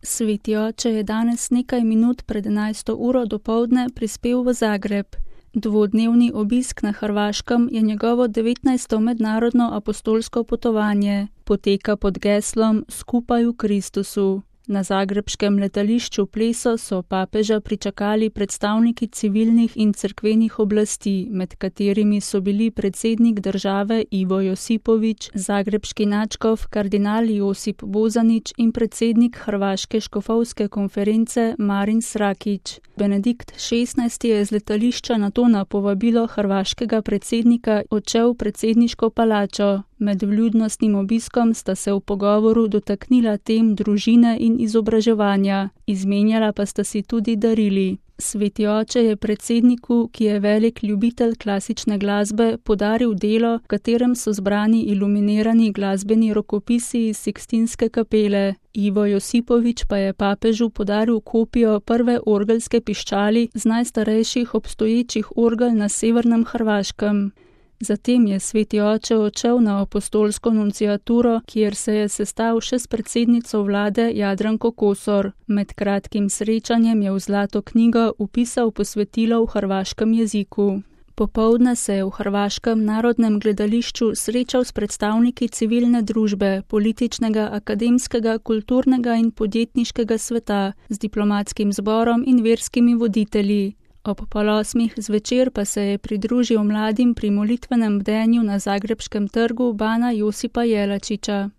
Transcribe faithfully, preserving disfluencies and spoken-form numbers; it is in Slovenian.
Sveti oče je danes nekaj minut pred enajsto uro dopoldne prispel v Zagreb. Dvodnevni obisk na Hrvaškem je njegovo devetnajsto mednarodno apostolsko potovanje. Poteka pod geslom Skupaj v Kristusu. Na zagrebškem letališču Pleso so papeža pričakali predstavniki civilnih in cerkvenih oblasti, med katerimi so bili predsednik države Ivo Josipović, zagrebški nadškof kardinal Josip Bozanić in predsednik Hrvaške škofovske konference Marin Srakić. Benedikt šestnajsti je z letališča nato na povabilo hrvaškega predsednika odšel v predsedniško palačo. Med vljudnostnim obiskom sta se v pogovoru dotaknila tem družine in izobraževanja, izmenjala pa sta si tudi darili. Sveti oče je predsedniku, ki je velik ljubitelj klasične glasbe, podaril delo, v katerem so zbrani iluminirani glasbeni rokopisi iz Sikstinske kapele. Ivo Josipović pa je papežu podaril kopijo prve orgelske piščali z najstarejših obstoječih orgel na severnem Hrvaškem. Zatem je sveti oče odšel na apostolsko nunciaturo, kjer se je sestal še s predsednico vlade Jadranko Kosor. Med kratkim srečanjem je v Zlato knjigo vpisal posvetilo v hrvaškem jeziku. Popoldne se je v Hrvaškem narodnem gledališču srečal s predstavniki civilne družbe, političnega, akademskega, kulturnega in podjetniškega sveta, z diplomatskim zborom in verskimi voditelji. Ob pol osmih zvečer pa se je pridružil mladim pri molitvenem bdenju na zagrebškem trgu Bana Josipa Jelačića.